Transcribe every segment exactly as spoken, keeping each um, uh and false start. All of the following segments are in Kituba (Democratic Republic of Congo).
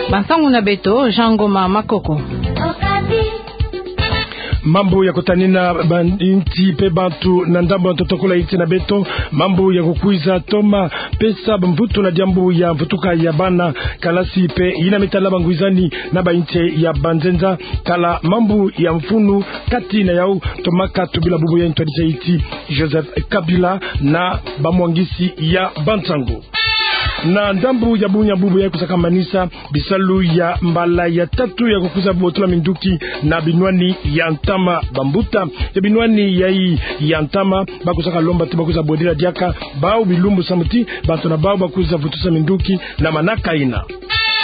Bansangu na beto, Jean Ngoma Makoko. Mambu ya kutanina ba inti pe bantu na ndambu ya ntotokolo ya inti na beto, mambu ya kukwiza toma pesa mvutu na diambu ya mvutuka ya bana kalasi pe yina me tala bangwizani na ba inti ya banzenza, tala mambu ya mfunu kati na yau, tomaka tubila bubu ya ntwadisi ya inti Joseph Kabila na bamwangisi ya bansangu. Na ndambu ya bunya bubu ya kusaka manisa bisalu ya mbala ya tatu ya kukwiza botula minduki na binwani ya ntama. Bambuta ya binwani yayi ya ntama bakusaka lomba ti bakwiza bwedila diaka bau bilumbu samu ti bantu na bau bakwiza vutusa minduki na manaka yina.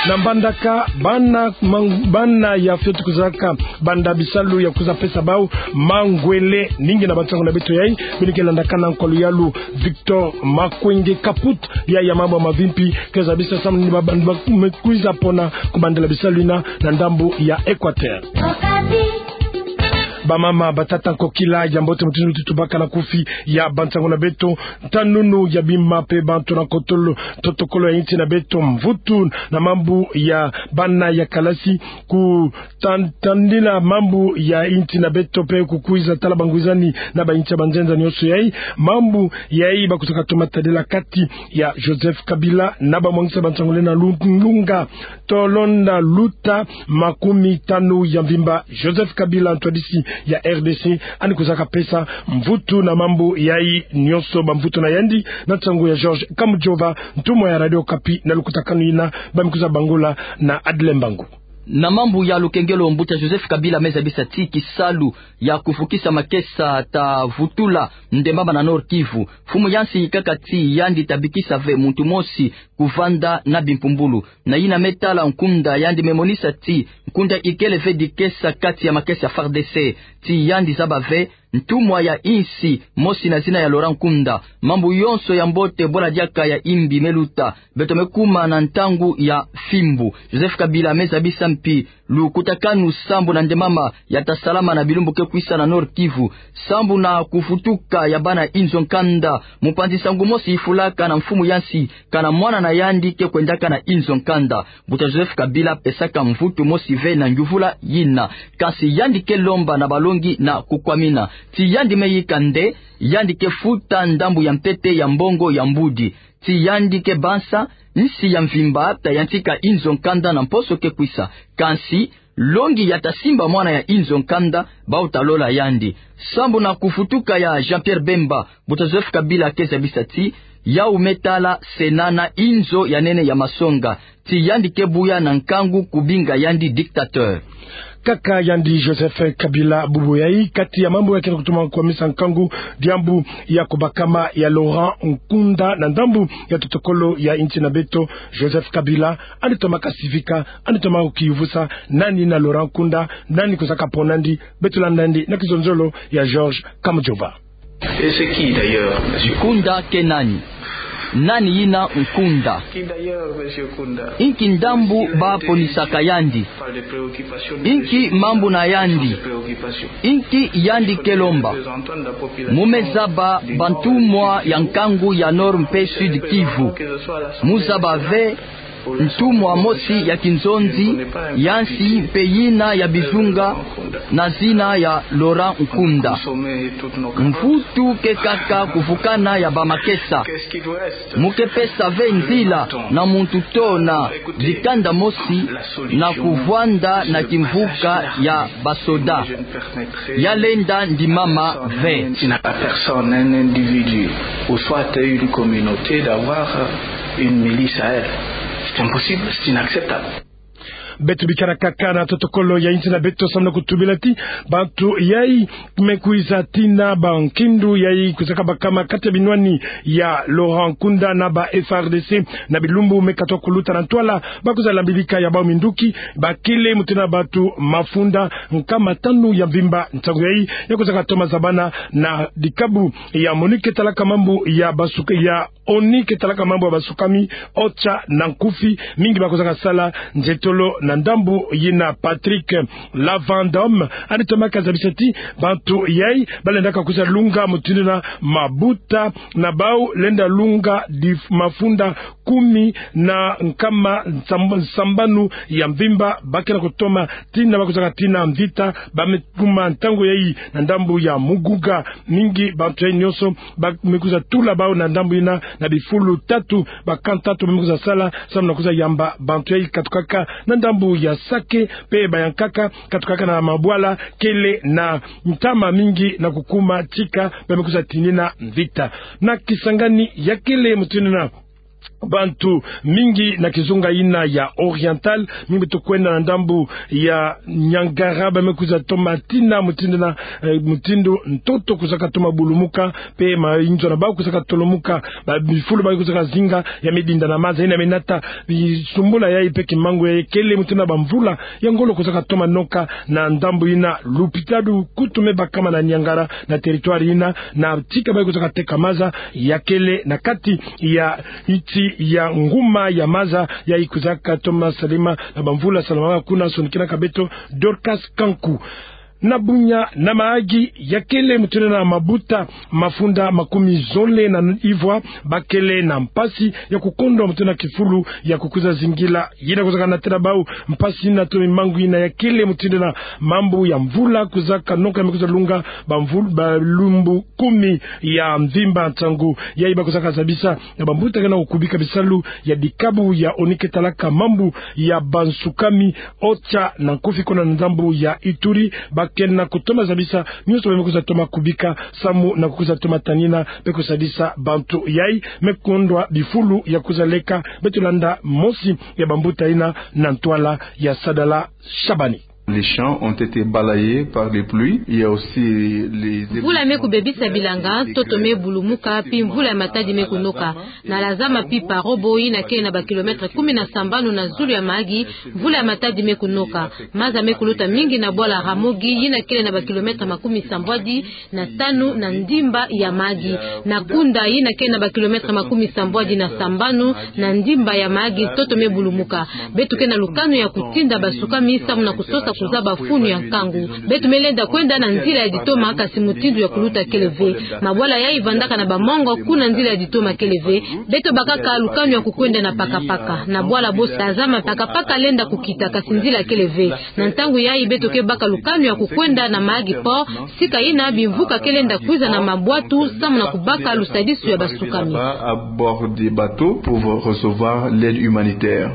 Na mbandaka bana mang-, bana ya fioti kwizaka banda bisalu ya kwiza pesa bau mangwele. Ningi na bansangu na beto yayi beno ke landaka na nkwa luyalu Victor Makwenge Kaput, ya ya mambu ya mavimpi ke zabisa samu ni ba bantu ba me kwiza pona kubandela bisalu yina na ndambu ya Equateur. Bamama, batata, nkokila ya mbote, mutindu ti tubaka na kufi ya bansangu na beto, ntanunu ya bima pe bantu na kotolo, ntotokolo ya inti na beto, mvutu na mambu ya bana ya kalasi, ku tan-, tandila mambu ya inti na beto pe kukwiza tala bangwizani na ba inti ya banzenza nyonso yayi. Mambu yayi bakusaka toma tadila kati ya Joseph Kabila na bamwangisa bansangu lenda lu-, lunga tolonda luta makumi tanu ya mvimba. Joseph Kabila, ntwadisi ya R D C, yandi kwizaka pesa mvutu na mambu yayi nyonso, bamvutu na yandi, na nsangu ya George Kamujova, ntumwa ya Radio Okapi na lukutakanu yina, ba me kwiza bangula na Adle Mbangu. Na mambu ya lukengelo, mbuta Joseph Kabila me zabisa ti kisalu ya kuvukisa makesa ta vutula ndembama na Nord-Kivu. Mfumu ya nsi ikaka ti yandi ta bikisa ve muntu mosi kuvanda na bimpumbulu. Na yina me tala Nkunda, yandi me monisa ti Nkunda ikele ve dikesa kati ya makesa ya F A R D C. Ti yandi zaba ve ntumwa ya insi mosi na zina ya Laurent Nkunda. Mambu yonso ya mbote bwala diaka ya imbi me luta. Beto me kuma na ntangu ya fimbu. Joseph Kabila me zabisa mpi lukutakanu sambu na ndembama ya ta salama na bilumbu ke kwisa na Nord-Kivu, sambu na kuvutuka ya bana inzo nkanda. Mupanzi nsangu mosi ifulaka na mfumu ya nsi kana mwana na yandi ke kwendaka na inzo nkanda. Mbuta Joseph Kabila pesaka mvutu mosi ve na nyuvula yina. Kansi yandi ke lomba na balongi na kukwamina. Ti yandi me yika nde yandi ke futa ndambu ya ntete ya mbongo ya mbudi. Ti yandi ke bansa nsi ya mvimba ta yantika inzo nkanda na mposo ke kwisa. Kansi longi ya ta simba mwana ya inzo nkanda, bau ta lola yandi. Sambu na kuvutuka ya Jean-Pierre Bemba, mbuta Joseph Kabila ke zabisa ti yau me tala Sénat na inzo ya nene ya masonga. Ti yandi ke buya na nkangu kubinga yandi dictateur. Kaka yandi Joseph Kabila bubu yayi, kati ya mambu ya kena kutuma kwamisa nkangu, diambu ya kubakama ya Laurent Nkunda na ndambu ya ntotokolo ya inti na beto. Joseph Kabila yandi tomaka sivika, yandi tomaka kiyuvusa nani na Laurent Nkunda, nani kwizaka pona yandi. Beto landa yandi na kizonzolo ya George Kamujova. Et c'est qui d'ailleurs, monsieur Nkunda ke nani? Nani yina Nkunda? Qui d'ailleurs, monsieur Nkunda? Inki ndambu ba ponisaka yandi? Inki mambu na yandi? Inki yandi ke lomba? Mu me zaba bantumwa ya nkangu ya Nord mpe Sud Kivu. Mu zaba ve ntumwa mosi ya kinzonzi ya nsi mpe yina ya bizunga na zina ya Laurent Nkunda. Mvutu ke kaka kuvukana ya bamakesa. Mu ke pesa ve nzila na muntu to na dikanda mosi na kuvwanda na kimvuka ya basoda. Ya lenda ndimama ve. Si na personne, un individu, ou soit une communauté d'avoir une milice à elle. C'est impossible, c'est inacceptable. Beto bikana kaka na ntotokolo ya inti na beto samu na kutubila ti bantu yayi me kwiza tina ba nkindu yayi kwizaka bakama kati ya binwani ya Laurent Nkunda na ba F A R D C na bilumbu me katuka kuluta na ntwala, ba kwiza lambilika ya bau minduki, bakele mutindu na bantu mafunda nkama tanu ya mvimba. Ntangu yayi ya kwizaka toma zabana na dikabu ya MONUC ke talaka mambu ya basuka ya ONU ke talaka mambu ya basukami, OCHA na nkufi, mingi bakozaka sala nzietolo na ndambu yina. Patrick Lavandom, yandi tomaka zabisa ti bantu yai balendaka kwiza lunga mutindu yina mabuta na bau lenda lunga di mafunda kumi na nkama nsam-, nsambanu ya mvimba, ba ke na kutoma tina bakozaka tina mvita, ba me kuma ntangu yai na ndambu ya muguga. Mingi bantu yai nyonso ba me kwiza tula bau na ndambu yina na bifulu tatu, ba camp tatu ba me kwiza sala samu na kwiza yamba bantu yai katukaka na ndambu ya Sake, mpe bayankaka katukaka na mabwala kele na ntama mingi na kukuma tika ba me kwiza tinina mvita. Na Kisangani ya kele mutindu yina bantu mingi na kizunga yina ya Oriental, mingi beto kwenda na ndambu ya Niangara, ba me kwiza toma tina mutindu yina, eh, mutindu ntoto kwizaka toma bulumuka, mpe mainzo na bau kwizaka tolumuka, ba bifulu ba kwizaka zinga ya me dinda na maza, yina me nata bisumbula yai mpe kimangu yai kele mutindu yina bamvula ya ngolo kwizaka toma noka na ndambu yina. Lupitalu kutu me bakama na Niangara na territoire yina, na tika ba kwizaka teka maza ya kele na kati ya nti ya nguma ya maza yai kwizaka toma salama na bamvula salamaka kuna. Sonikinaka beto Dorcas Kanku. Na Bunia na Mahagi, ya kele mutindu yina mabuta mafunda makumi zole na ivwa ba kele na mpasi ya kukondwa mutindu yina kifulu ya kukwiza zingila. Yina kwizaka natela bau mpasi yina to mimangu yina ya kele mutindu yina mambu ya mvula kwizaka noka ya me kwiza lunga bamvul-, balumbu kumi ya mvimba. Nsangu yai ba kwizaka zabisa na bambuta ke na kukubika bisalu ya dikabu ya ONU ke talaka mambu ya bansukami, OCHA na nkufi, kuna na ndambu ya Ituri, ba ke na kutoma zabisa nyonso ba me kwiza toma kubika samu na kukwiza toma tanina mpe kusadisa bantu yai me kondwa bifulu ya kwiza leka. Beto landa mosi ya bambuta yina na ntwala ya Sadala Shabani. Les champs ont été balayés par les pluies. Il y a aussi les... Mvula me kubebisa bilanga, ntoto me bulumuka, mpi mvula ya matadi me kunoka. Na Lazama mpi Parobo, yina kele na ba kilomètres kumi na sambanu na zulu ya Mahagi, mvula ya matadi me kunoka. Maza me kuluta mingi na bwala Ramogi, yina kele na ba kilomètres makumi sambwadi na tanu na ndimba ya Mahagi. Na Kunda, yina kele na ba kilomètres makumi sambwadi na sambanu na ndimba ya Mahagi, ntoto me bulumuka. Beto ke na lukanu ya kutinda basukami samu na kusosa kuzaba funu ya nkangu. Beto me lenda kwenda na nzila ya ditoma, kasi mutindu ya kuluta kele ve. Mabwala yai vandaka na bamongo, kuna nzila ya ditoma kele ve. Beto bakaka lukanu ya kukwenda na pakapaka. Na bwala bosi Lazama, pakapaka lenda kukita, kasi nzila kele ve. Na ntangu yai beto ke baka lukanu ya kukwenda na Mahagi Port, sika yina bimvuka ke lenda kwiza na mabwatu samu na kubaka lusadisu ya basukami. À bord des bateaux pour recevoir l'aide humanitaire.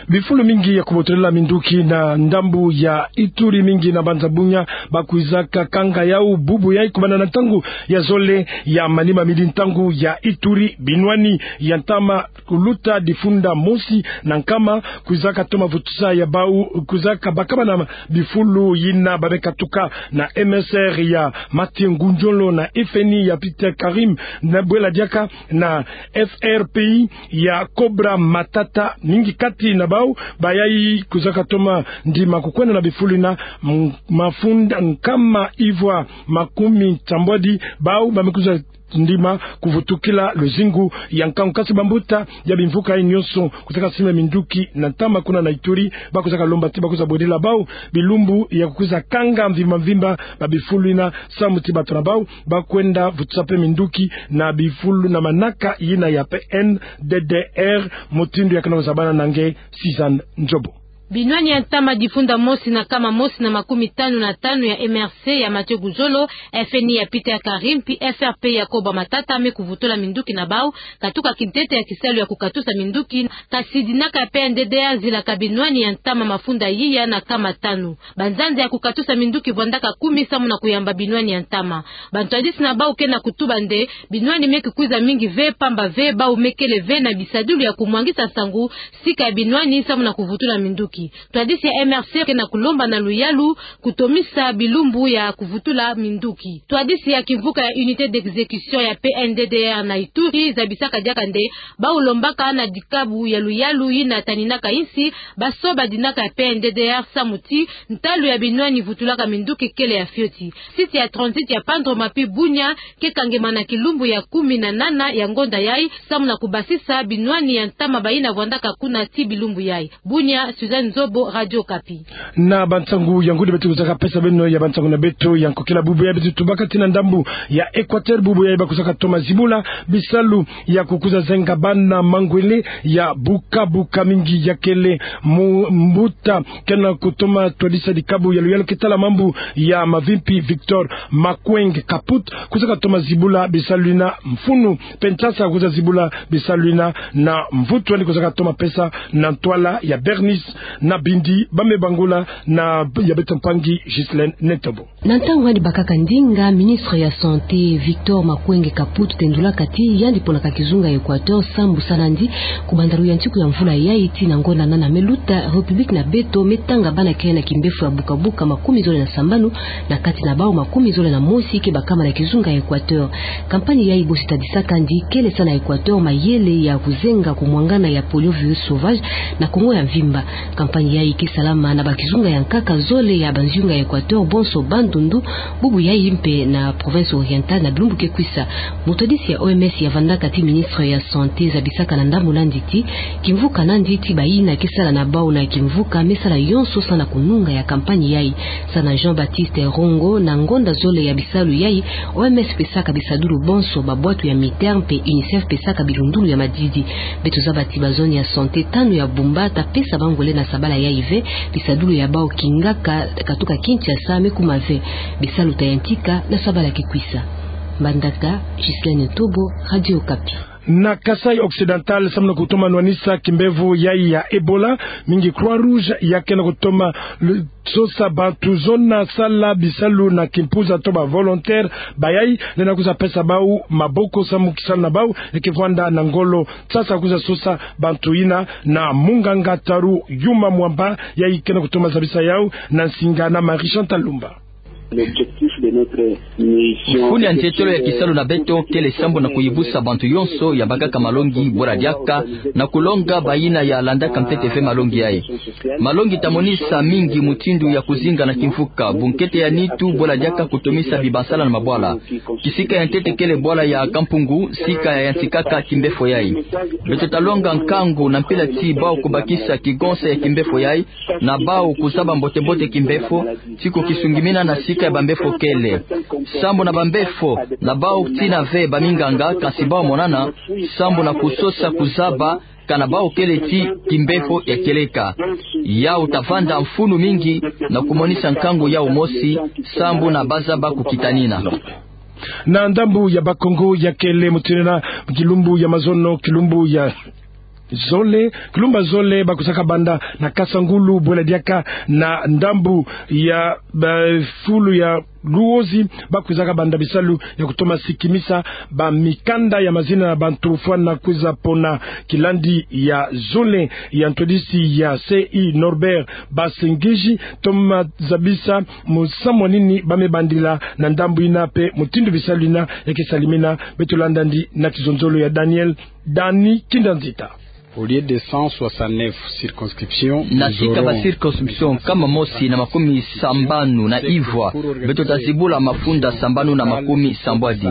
Bifulu mingi ya kubotolila minduki na ndambu ya Ituri, mingi na mbanza Bunia, ba kwizaka kanga yau bubu yai kubanda na ntangu ya zole ya manima midi ntangu ya Ituri. Binwani ya ntama kuluta difunda mosi na nkama kwizaka toma vutusa ya bau, kwizaka bakama na bifulu yina ba me katuka na M S R ya Mathieu Ngudjolo na F N I ya Peter Karim, na bwela diaka na F R P I ya Cobra Matata. Mingi kati na bau bayai kwizaka toma ndima kukwenda na bifulu yina, m-, mafunda nkama ivwa makumi nsambwadi, bau ba me kwiza ndima kuvutukila luzingu ya nkangu. Kasi bambuta ya bimvuka yai nyonso kwizaka simba minduki na ntama kuna na Ituri, ba kwizaka lomba ti ba kwiza bwedila bau bilumbu ya kukwiza kanga mvimba mvimba ba bifulu yina, samu ti bato na bau ba kwenda vutusa mpe minduki na bifulu na manaka yina ya P N D D R, mutindu ya ke na kuzabana na nge Suzanne Nzobo. Binwani ya ntama difunda mosi na nkama mosi na makumi tanu na tanu ya M R C ya Mathieu Ngudjolo, F N I ya Peter Karim, mpi F R P ya Cobra Matata me kuvutula minduki na bau, katuka kintete ya kisalu ya kukatusa minduki, kasi dinaka ya P N D D R zilaka binwani ya ntama mafunda yiya na nkama tanu. Banzanza ya kukatusa minduki vandaka kumi samu na kuyamba binwani ya ntama. Bantwadisi na bau ke na kutuba nde binwani me kukwiza mingi ve, pamba ve bau me kele ve na bisadilu ya kumwangisa nsangu sika ya binwani samu na kuvutula minduki. Twadisi ya M R C ke na kulomba na luyalu kutomisa bilumbu ya kuvutula minduki. Twadisi ya kimvuka ya Unité d'exécution ya P N D D R na Ituri zabisaka diaka nde bawu lombaka na dikabu ya luyalu yina taninaka insi basoba dinaka ya P N D D R samu ti ntalu ya binwani vutulaka minduki kele ya fioti. Site ya transit ya Pandromapi Bunia ke kangemana kilumbu ya kumi na nana ya ngonda yayi samu na kubasisa binwani ya ntama bayina vwandaka kuna ti bilumbu yayi. Bunia, Suzanne Nzobo, Radio Okapi. Na bansangu ya ngudi beto kuzaka pesa beno ya bansangu na beto ya nkokila. Bubu yayi beto tubaka tii na ndambu ya Équateur, bubu yayi bakusaka toma zibula bisalu ya kukuza zenga bana mangwele ya buka buka mingi ya kele mu mbuta ke na kutoma twadisa dikabu ya luyalu ke tala mambu ya mavimpi Victor Makwenge Kaput kusaka toma zibula bisalu yina mfunu mpe nsasa kuza zibula bisalu yina na mvutu yandi kusaka toma pesa na ntwala ya Bernice na Bindi. Ba me bangula na ya beto mpangi Ghislaine Netobo. Na ntangu yandi bakaka ndinga, ministre ya Santé Victor Makwenge Kaput tendulaka ti yandi ponaka kizunga ya Équateur sambu sa nandi kubanda luyantiku ya mvula yayi tii na ngonda nana me luta, République na beto me tanga bana kiayi na kimbefo ya buka buka makumi zole na sambanu, na kati na bawu makumi zole na mosi ke bakama na kizunga ya Équateur. Campagne yayi bosi tadisaka ndi kele sa na Équateur mayele ya kuzenga kumwangana ya poliovirus sauvage na Congo ya mvimba. Campagne yayi ke salama na bakizunga ya nkaka zole ya banzunga ya Équateur, bonso Bandundu, bubu yayi mpe na province orientale na bilumbu ke kwisa. Mutwadisi ya O M S ya vandaka ti ministre ya Santé zabisaka na ndambu nandi ti kimvuka nandi ti bayina ke sala na bawu na kimvuka me sala yonso sa na kununga ya campagne yayi. Sa na Jean-Baptiste Rongo, na ngonda zole ya bisalu yayi, O M S pesaka bisadulu bonso, babwatu ya MITER mpe UNICEF pesaka bilundulu ya madidi. Beto zaba ti bazone ya santé tanu ya Bumba ta pesa bangwele na sabala yayi ve, bisadulu ya bawu kingaka katuka Kinshasa me kuma ve. Bisalu ta yantika na sabala ke kwisa. Mbandaka, Ghislaine Ntobo, Radio Okapi. Na Kasaï Occidental, samu na kutoma nwanisa kimbevo yayi ya Ebola, mingi Croix Rouge ya ke na kutoma lu-, sosa bantu zona sala bisalu na kimpuza to ba volontaire bayayi, lenda kuza pesa bawu maboko samu kisalu na bawu ya ke vwanda na ngolo. Sasa kuza sosa bantu yina na munganga Taru Yuma Mwamba, yayi ke na kutoma zabisa yawu na nsinga na Marie Chantal Lumba. L'objectif de notre mission, mfunu ya nzietolo ya kisalu na beto kele sambu na kuyibusa bantu yonso ya bakaka malongi bwela diaka na kulonga bayina ya landaka ntete ve malongi yayi. Malongi ta monisa mingi mutindu ya kuzinga na kimvuka, bunkete ya nitu bwela diaka kutomisa bibansala na mabwala. Kisika ya ntete kele bwala ya Kampungu, sika ya yantikaka kimbefo yayi. Beto ta longa nkangu na mpila ti bawu kubakisa kigonsa ya kimbefo yayi, na bawu kuzaba mbote-mbote kimbefo, ti kukisungimina na sika ya bambefo kele. Sambu na bambefo, na bawu tina ve baminganga, kansi bawu monana, sambu na kusosa kuzaba, kana bawu kele ti kimbefo ya kieleka. Yawu ta vanda mfunu mingi na kumonisa nkangu yawu mosi, sambu na bazaba kukitanina. Na ndambu ya Bakongo ya kele mutindu yina, kilumbu ya mazono, kilumbu ya zole, kilumbu ya zole, bakusaka banda na Kasangulu, bwela diaka na ndambu ya, ba, fulu ya Luozi, bakusaka banda bisalu ya kutoma sikimisa bamikanda ya mazina na bantu fwana kwiza pona kilandi ya zole. Ya ntwadisi ya C I Norbert Basengezi toma zabisa musamu wa nini ba me bandila na ndambu yina mpe mutindu bisalu yina ya ke salimina. Beto landa ndi na kizonzolo ya Daniel Dani Kinda Nzita. Au lieu de cent soixante-neuf circonscriptions, na sika ba circonscription nkama mosi na makumi sambanu na ivwa, beto ta zibula mafunda sambanu na makumi sambwadi.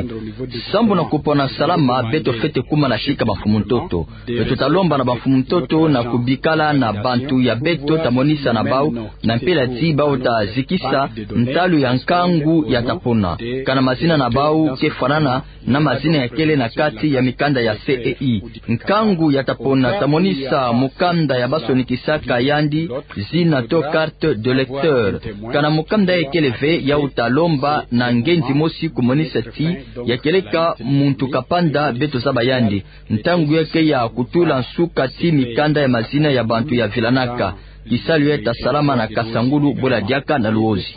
Sambu na kupona salama, beto fwete kuma na sika bamfumu ntoto. Beto ta lomba na bamfumu ntoto na kubikala na bantu ya beto, ta monisa na bawu na mpila ti bawu ta zikisa ntalu ya nkangu ya ta pona, kana mazina na bawu ke fwanana na mazina ya kele na kati ya mikanda ya C E I. Nkangu ya ta pona ta monisa mukanda ya ba sonikisaka yandi zina to carte d'électeur. Kana mukanda ya kele ve, yawu ta lomba na ngenzi mosi kumonisa ti ya kieleka muntu kapanda beto zaba yandi. Ntangu ya ke ya kutula nsuka ti mikanda ya mazina ya bantu ya vilanaka. Kisalu ya ta salama na Kasangulu, bwela diaka na Luozi.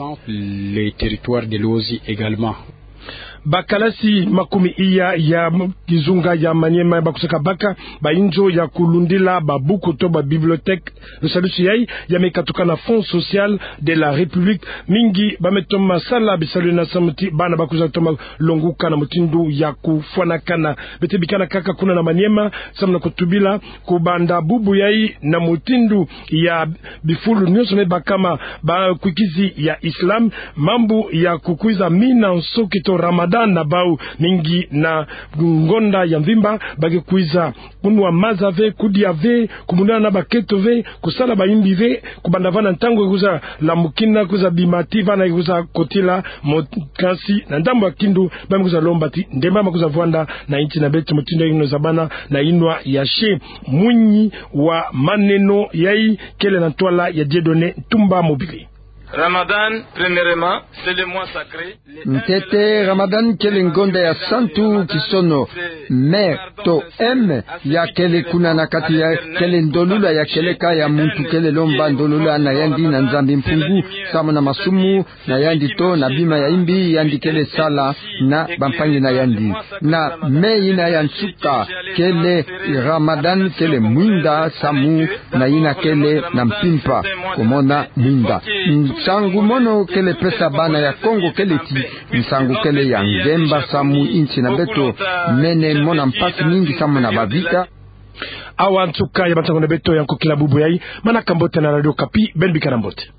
Les territoires de Luozi également. Bakalasi makumi iya ya kizunga ya Maniema bakusaka baka ba inzo ya kulundila babuku to ba bibliothèque. Lusadisu yayi ya me katuka na Fonds Social de la République. Mingi ba me toma sala bisalu yina samu ti bana bakwiza toma longuka na mutindu ya kufwanakana. Beto bikana kaka kuna na Maniema samu na kutubila kubanda bubu yayi na mutindu ya bifulu nyonso me bakama bakwikizi ya Islam, mambu ya kukwiza mina nsoki to Ramadan na bau. Mingi na ngonda ya mvimba ba ke kwiza kunwa maza ve, kudia ve, kumunana na baketo ve, kusala bayimbi ve, kubanda vana ntangu ya kwiza lamukina, kwiza bima ti vana ya kwiza kotila. Mo kasi na ndambu ya kindu ba me kwiza lomba ti ndemba ma kwiza vwanda na insi na beto mutindu ya kino zabana na inwa ya se. Mwinyi wa maneno yayi kele na ntwala ya Dieudonné Ntumba Mobili. Ramadan, premièrement, c'est le mois sacré. Ntete, Ramadan kele ngonda ya santu kisono. Mère to M ya kele kuna na kati ya kele ndolula ya kieleka ya muntu kele lomba ndolula na yandi na Nzambi Mpungu samu na masumu na yandi to na bima ya imbi yandi kele sala na bampangi na yandi. Na me yina ya nsuka kele Ramadan kele mwinda samu na yina kele na mpimpa. Komona mwinda. Nsangu mono kele pesa bana ya Kongo kele ti nsangu kele ya ngemba samu insi na beto mene mona mpasi mingi samu na bavita. Awa nsuka ya bansangu na beto ya nkokila bubu yayi. Manaka mbote na Radio Okapi, beno bikana mbote.